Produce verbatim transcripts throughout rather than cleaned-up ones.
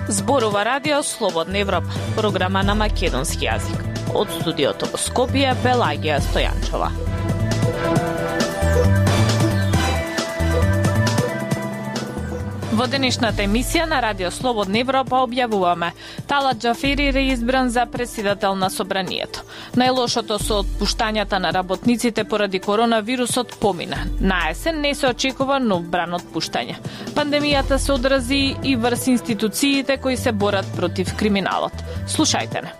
Зборува Радио Слободна Европа, програма на македонски јазик. Од студиото во Скопје, Пелагија Стојанчова. Во денешната емисија на Радио Слободна Европа објавуваме: Талат Џафери реизбран за претседател на Собранието. Најлошото со отпуштањата на работниците поради коронавирусот помина. На есен не се очекува нов бран отпуштање. Пандемијата се одрази и врз институциите кои се борат против криминалот. Слушајте не.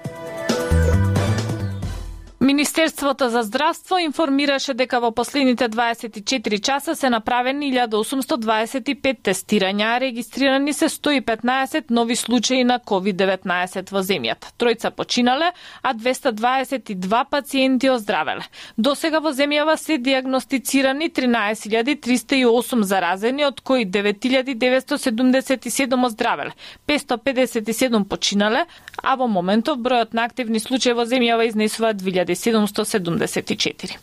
Министерството за здравство информираше дека во последните дваесет и четири часа се направени илјада осумсто дваесет и пет тестирања, а регистрирани се сто и петнаесет нови случаи на ковид деветнаесет во земјата. Тројца починале, а двесте дваесет и два пациенти оздравеле. Досега во земјава се диагностицирани тринаесет илјади триста и осум заразени, од кои девет илјади деветсто седумдесет и седум оздравеле, петстотини педесет и седум починале, а во моментов бројот на активни случаи во земјава изнесува две илјади седумсто седумдесет и четири.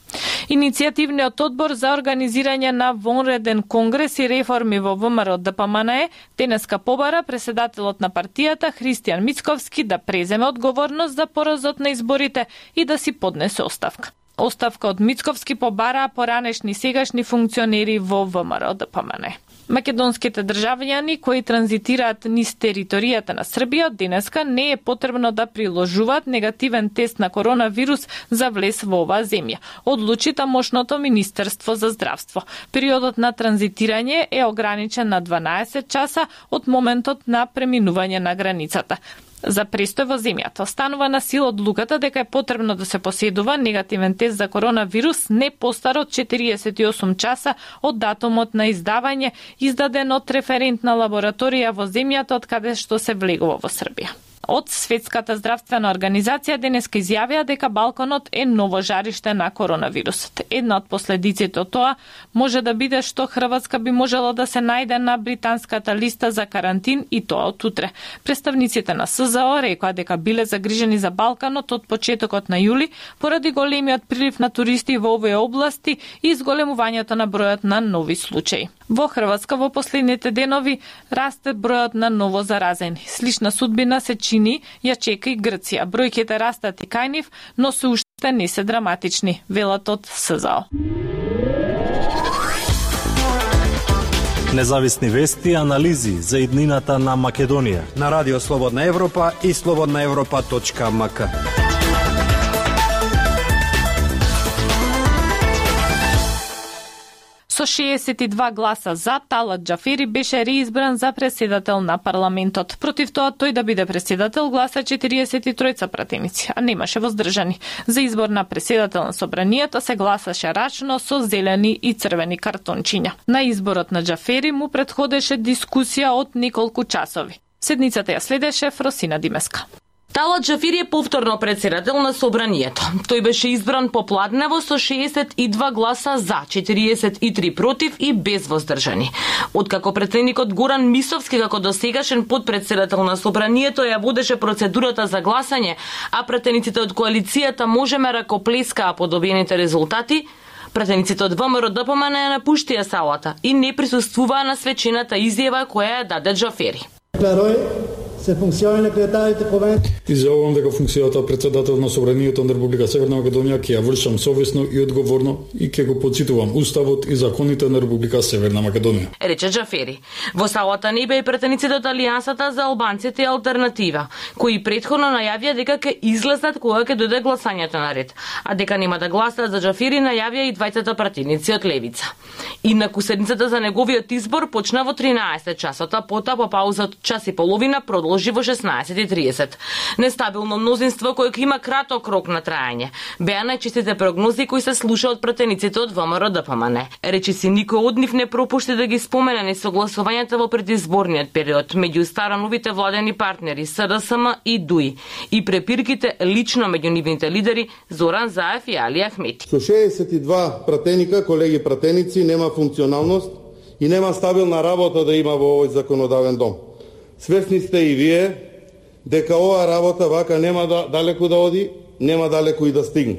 Иницијативниот одбор за организирање на вонреден конгрес и реформи во ВМРО Д П М Н Е денеска побара преседателот на партијата Христијан Мицковски да преземе одговорност за поразот на изборите и да си поднесе оставка. Оставка од Мицковски побараа поранешни сегашни функционери во ВМРО Д П М Н Е. Македонските државјани кои транзитираат низ територијата на Србија денеска не е потребно да приложуваат негативен тест на коронавирус за влез во оваа земја, одлучи тамошното Министерство за здравство. Периодот на транзитирање е ограничен на дванаесет часа од моментот на преминување на границата. За престој во земјата останува на сила одлуката дека е потребно да се поседува негативен тест за коронавирус не постар од четириесет и осум часа од датумот на издавање, издаден од референтна лабораторија во земјата од каде што се влегува во Србија. Од Светската здравствена организација денеска изјавија дека Балканот е ново жариште на коронавирусот. Една од последиците од тоа може да биде што Хрватска би можела да се најде на британската листа за карантин и тоа од утре. Представниците на С З О рекоа дека биле загрижени за Балканот од почетокот на јули поради големиот прилив на туристи во овие области и зголемувањето на бројот на нови случаи. Во Хрватска во последните денови расте бројот на ново заразени. Слична судбина се чини ја чека и Грција. Бројките растат и кај нив, но се уште не се драматични, велат од С З О. Независни вести и анализи за иднината на Македонија на Радио Слободна Европа и слободна европа точка м к. Со шеесет и два гласа за, Талат Џафери беше реизбран за претседател на парламентот. Против тоа тој да биде претседател гласа четириесет и тројца пратеници, а немаше воздржани. За избор на претседател на Собранието се гласаше рачно со зелени и црвени картончиња. На изборот на Џафери му претходеше дискусија од неколку часови. Седницата ја следеше Фросина Димеска. Талат Џафери е повторно претседател на Собранието. Тој беше избран попладнево со шеесет и два гласа за, четириесет и три против и без воздржани. Откако претседникот Горан Мисовски како досегашен подпредседател на Собранието ја водеше процедурата за гласање, а пратениците од коалицијата можеме ракоплескаа по добиените резултати, пратениците од ВМРО Д П М Н Е напуштија салата и не присуствуваа на свечената изјава која ја даде Џафери. се функциони на кредитарите повен. Изјавувам дека функцијата председател на Собранието на Република Северна Македонија ќе ја вршам совесно и одговорно и ќе го подситувам уставот и законите на Република Северна Македонија, рече Џафери. Во салата не беа и претениците од Алијансата за албанците и алтернатива, кои претходно најавија дека ќе излезат кога ќе дојде гласањето на ред, а дека нема да гласаат за Џафери најавија и двајцата пратеници од Левица. Инаку седницата за неговиот избор почна во тринаесет часот, а потоа по пауза од час и половина продолжи во шеснаесет и тридесет. Нестабилно мнозинство кое има краток рок на трајање. Беа најчестите прогнози кои се слуша од пратениците од ВМРО Д П М Н Е. Речи си никој од нив не пропушти да ги спомене несогласувањата во предизборниот период меѓу старановите владени партнери С Д С М и Д У И и препирките лично меѓу нивните лидери Зоран Заев и Али Ахмети. Со шеесет и два пратеника, колеги пратеници, нема функционалност и нема стабилна работа да има во овој законодавен дом. Свесни сте и вие дека оваа работа вака нема да далеку да оди, нема далеку и да стигне.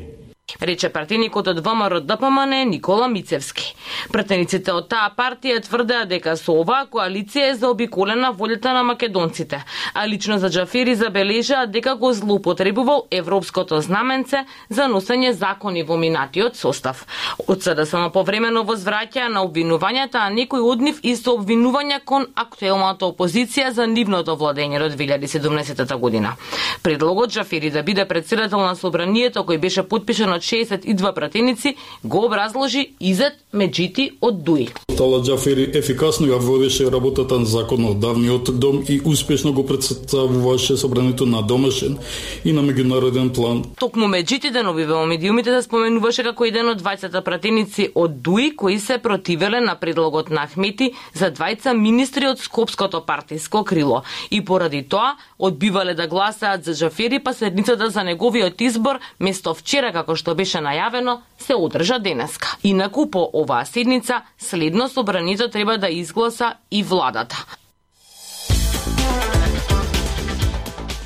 Рече пратеникот од ВМРО-ДПМН Никола Мицевски. Пратениците од таа партија тврдеа дека со оваа коалиција е заобиколена волјата на македонците, а лично за Џафери забележаа дека го злоупотребувал европското знаменце за носење закони во минатиот состав. Од СДСМ повремено возвраќаа на обвинувањата, а некои од нив и со обвинувања кон актуелната опозиција за нивното владење до две илјади и седумнаесета година. Предлогот Џафери да биде председател на собранието, кој беше потпишан од шеесет и два пратеници, го образложи Изет Меджити од ДУИ. Тала Џафери ефикасно ја водеше работата на законодавниот дом и успешно го представуваше собранието на домашен и на меѓународен план. Токму Меджити денови во медиумите се споменуваше како еден од двајцата пратеници од ДУИ кои се противеле на предлогот на Ахмети за двајца министри од скопското партиско крило и поради тоа одбивале да гласаат за Џафери, па седницата за неговиот избор место вчера како што беше најавено се одржа денеска. Инаку по оваа седница следно собранието треба да изгласа и владата.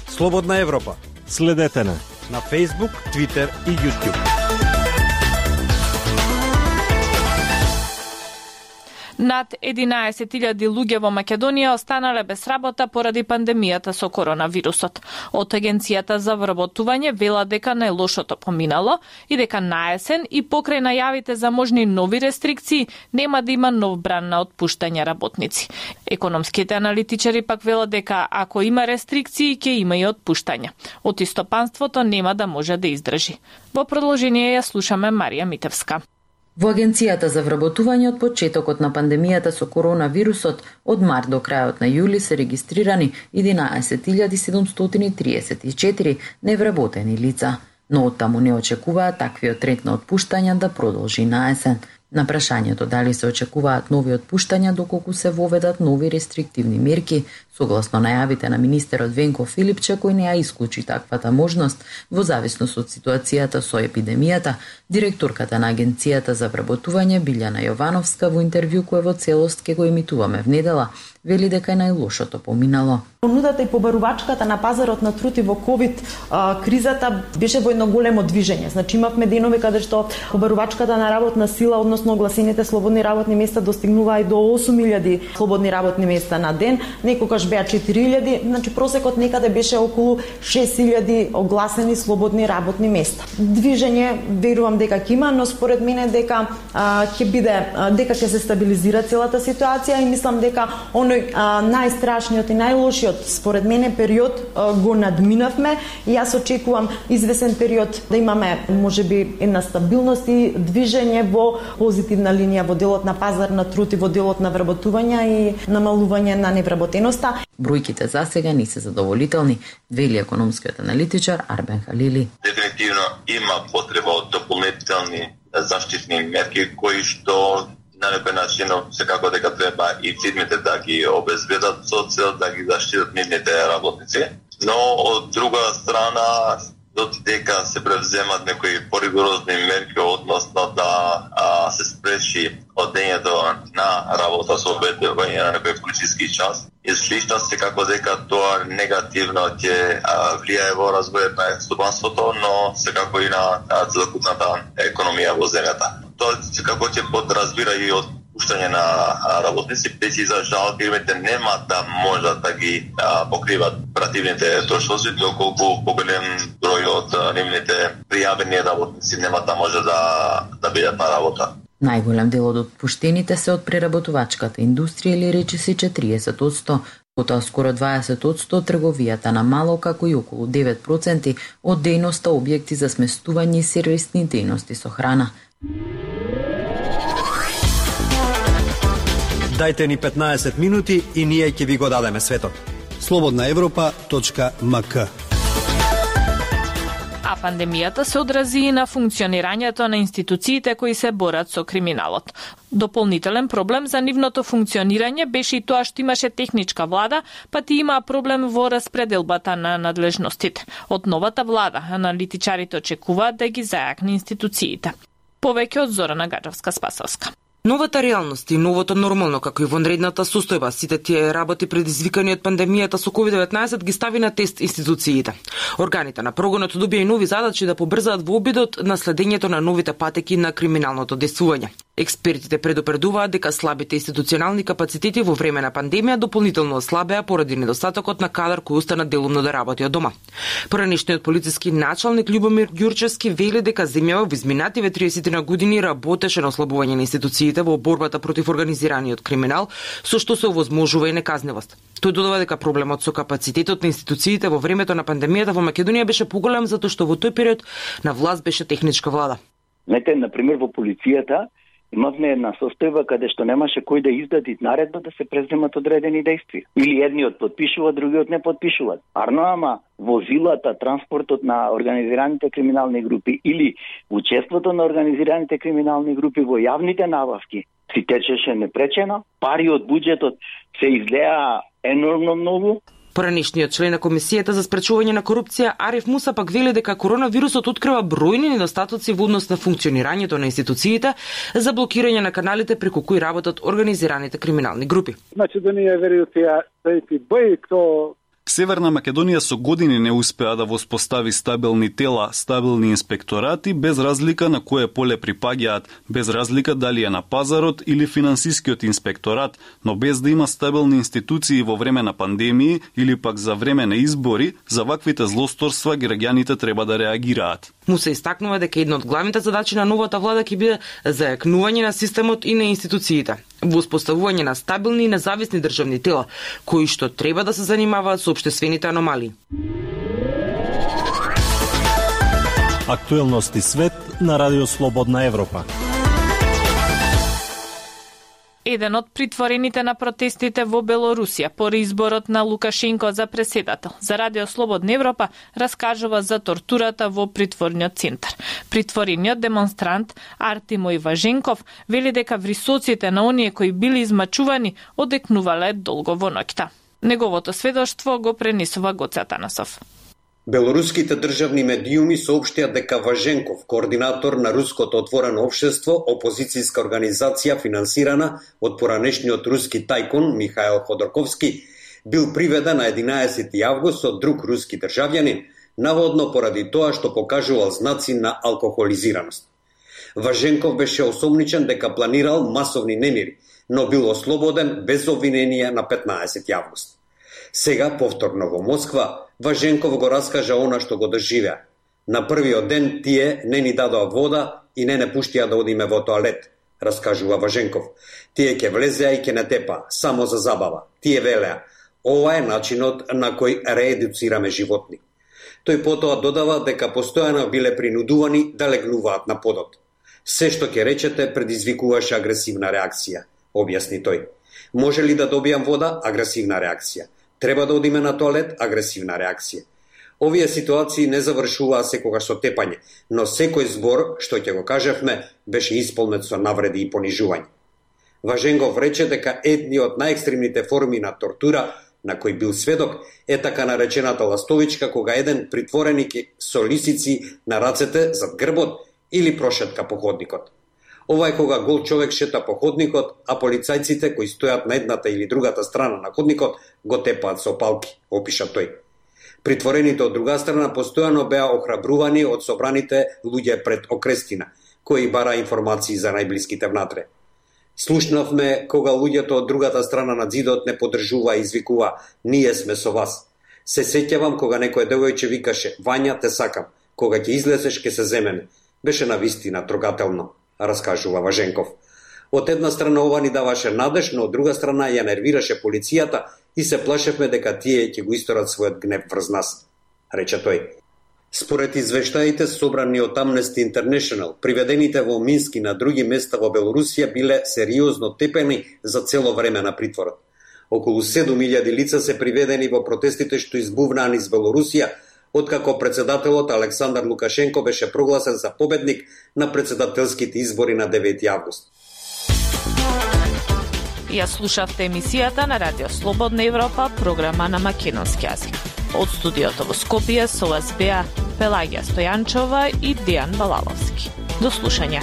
Слободна Европа. Следете на на Facebook, Twitter и YouTube. Над единаесет илјади луѓе во Македонија останале без работа поради пандемијата со коронавирусот. Од Агенцијата за вработување вела дека најлошото поминало и дека наесен и покрај најавите за можни нови рестрикции нема да има нов бран на отпуштање работници. Економските аналитичари пак велат дека ако има рестрикции ќе има и отпуштања. Од истопанството нема да може да издржи. Во продолжение ја слушаме Марија Митевска. Во Агенцијата за вработување од почетокот на пандемијата со коронавирусот од март до крајот на јули се регистрирани единаесет илјади седумстотини триесет и четири невработени лица, но оттаму не очекуваат таквиот тренд на отпуштања да продолжи наесен. На прашањето дали се очекуваат нови отпуштања доколку се воведат нови рестриктивни мерки, согласно најавите на министерот Венко Филипче, кој не ја исклучи таквата можност во зависност од ситуацијата со епидемијата, директорката на Агенцијата за вработување Билјана Јовановска во интервју кое во целост ке го емитуваме внедела, вели дека е најлошото поминало. Понудата и побарувачката на пазарот на труд и во ковид а, кризата беше во едно големо движење. Значи имавме денови каде што побарувачката на работна сила, односно огласените слободни работни места достигнуваа и до осум илјади слободни работни места на ден, некогаш беа четири илјади, значи просекот некаде беше околу шест илјади огласени слободни работни места. Движење верувам дека ќе има, но според мене дека а, ќе биде а, дека ќе се стабилизира целата ситуација и мислам дека оној а, најстрашниот и најлошиот според мене период а, го надминавме и јас очекувам извесен период да имаме можеби една стабилност и движење во позитивна линија во делот на пазар на труд и во делот на вработување и намалување на невработеноста. Бројките за сега не се задоволителни, вели економскиот аналитичар Арбен Халили. Дефинитивно има потреба од дополнителни заштитни мерки кои што на некој начин секако дека треба и фирмите да ги обезбедат со цел да ги заштитат нивните работници. Но од друга страна, додека се превземат некои поригорозни мерки односно да а, се спреши одењето на работа со обедување на некој вклучиски час, и слично секако дека тоа негативно ќе влијае во развојот на стопанството, но секако и на целокупната економија во земјата. Тоа секако ќе подразбира и од отпуштање на работници, песи за жал фирмите нема да можат да ги а, покриват оперативните трошоци, доколку поголем број од нивните пријавени работници нема да може да, да бидат на работа. Најголем дел од отпуштените се од преработувачката индустрија или речиси четириесет одсто, потоа скоро дваесет одсто трговијата на мало, како и околу девет проценти од дејноста објекти за сместување и сервисни дејности со храна. Дајте ни петнаесет минути и ние ќе ви го дадеме светот. слободна европа точка ем ка. А пандемијата се одрази и на функционирањето на институциите кои се борат со криминалот. Дополнителен проблем за нивното функционирање беше и тоа што имаше техничка влада, па ти има проблем во распределбата на надлежностите. Од новата влада, аналитичарите очекуваат да ги зајакне институциите. Повеќе од Зорана Гаджевска-Спасовска. Новата реалност и новото нормално, како и вонредната состојба, сите тие работи предизвикани од пандемијата со ковид деветнаесет ги стави на тест институциите. Органите на прогонот добија и нови задачи да побрзаат во обидот на следењето на новите патеки на криминалното действување. Експертите предупредуваат дека слабите институционални капацитети во време на пандемија дополнително ослабеа поради недостатокот на кадар кој остана делумно да работи од дома. Поранешниот полициски началник Љубомир Ѓурчевски вели дека земјава во изминативе триесет на години работеше на ослабување на институциите во борбата против организираниот криминал, со што се овозможува и неказнивост. Тој додава дека проблемот со капацитетот на институциите во времето на пандемијата во Македонија беше поголем затоа што во тој период на власт беше техничка влада. Знаете, например, во полицијата имавме една состојба каде што немаше кој да издаде наредба да се преземат одредени действија. Или едниот подпишува, другиот не подпишуваат. Арно, ама возилата, транспортот на организираните криминални групи или учеството на организираните криминални групи во јавните набавки си течеше непречено, пари од буџетот се излеа енормно многу. Поранешниот член на Комисијата за спречување на корупција Ариф Муса пак вели дека коронавирусот открива бројни недостатоци во однос на функционирањето на институциите за блокирање на каналите преку кои работат организираните криминални групи. Македонија веројатно е бај кто Северна Македонија со години не успеа да воспостави стабилни тела, стабилни инспекторати, без разлика на кое поле припаѓаат, без разлика дали е на пазарот или финансискиот инспекторат, но без да има стабилни институции во време на пандемии или пак за време на избори, за ваквите злосторства граѓаните треба да реагираат. Му се истакнува дека една од главните задачи на новата влада ќе биде зајакнување на системот и на институциите, воспоставување на стабилни и независни државни тела, кои што треба да се занимаваат со општествените аномалии. Актуелности свет на Радио Слободна Европа. Еден од притворените на протестите во Белорусија по изборот на Лукашенко за преседател за Радио Слободна Европа раскажува за тортурата во притворниот центар. Притворениот демонстрант Артемој Важенков вели дека врисоците на оние кои били измачувани одекнувале долго во ноќта. Неговото сведоштво го пренесува Гоце Атанасов. Белоруските државни медиуми соопштија дека Важенков, координатор на Руското отворено општество, опозицијска организација финансирана од поранешниот руски тајкун Михаил Ходорковски, бил приведен на единаесети август од друг руски државјанин, наводно поради тоа што покажувал знаци на алкохолизираност. Важенков беше осомничен дека планирал масовни немири, но бил ослободен без обвинение на петнаесети август. Сега, повторно во Москва, Важенков го раскажа она што го доживеа. На првиот ден тие не ни дадоа вода и не не пуштија да одиме во тоалет, раскажува Важенков. Тие ќе влезеа и ќе не тепа, само за забава. Тие велеа, ова е начинот на кој реедуцираме животни. Тој потоа додава дека постојано биле принудувани да легнуваат на подот. Се што ќе речете предизвикуваше агресивна реакција, објасни тој. Може ли да добијам вода? Агресивна реакција. Треба да одиме на тоалет? Агресивна реакција. Овие ситуации не завршуваа секогаш со тепање, но секој збор, што ќе го кажевме, беше исполнет со навреди и понижување. Важенков рече дека едни од најекстремните форми на тортура на кој бил сведок е така наречената ластовичка, кога еден притвореник со лисици на рацете зад грбот или прошетка по ходникот. Ова е кога гол човек шета по ходникот, а полицајците кои стојат на едната или другата страна на ходникот го тепаат со палки, опиша тој. Притворените од друга страна постојано беа охрабрувани од собраните луѓе пред окрестина, кои бара информации за најблиските внатре. Слушнавме кога луѓето од другата страна на зидот не поддржува и извикува "Ние сме со вас". Се сеќавам кога некој девојче викаше "Вања, те сакам, кога ќе излезеш ќе се земеме". Беше навистина трогателно, раскажува Важенков. Од една страна ова ни даваше надеж, но од друга страна ја нервираше полицијата и се плашевме дека тие ќе го исторат својот гнев врз нас, рече тој. Според извештаите собрани од Amnesty International, приведените во Минск и на други места во Белорусија биле сериозно тепени за цело време на притворот. Околу седум илјади лица се приведени во протестите што избувнаа низ Белорусија, откако председателот Александар Лукашенко беше прогласен за победник на председателските избори на девети август. Ја слушавте емисијата на Радио Слободна Европа, програма на македонски јазик. Од студиото во Скопје со вас беа Пелагија Стојанчова и Дејан Балаловски. До слушање.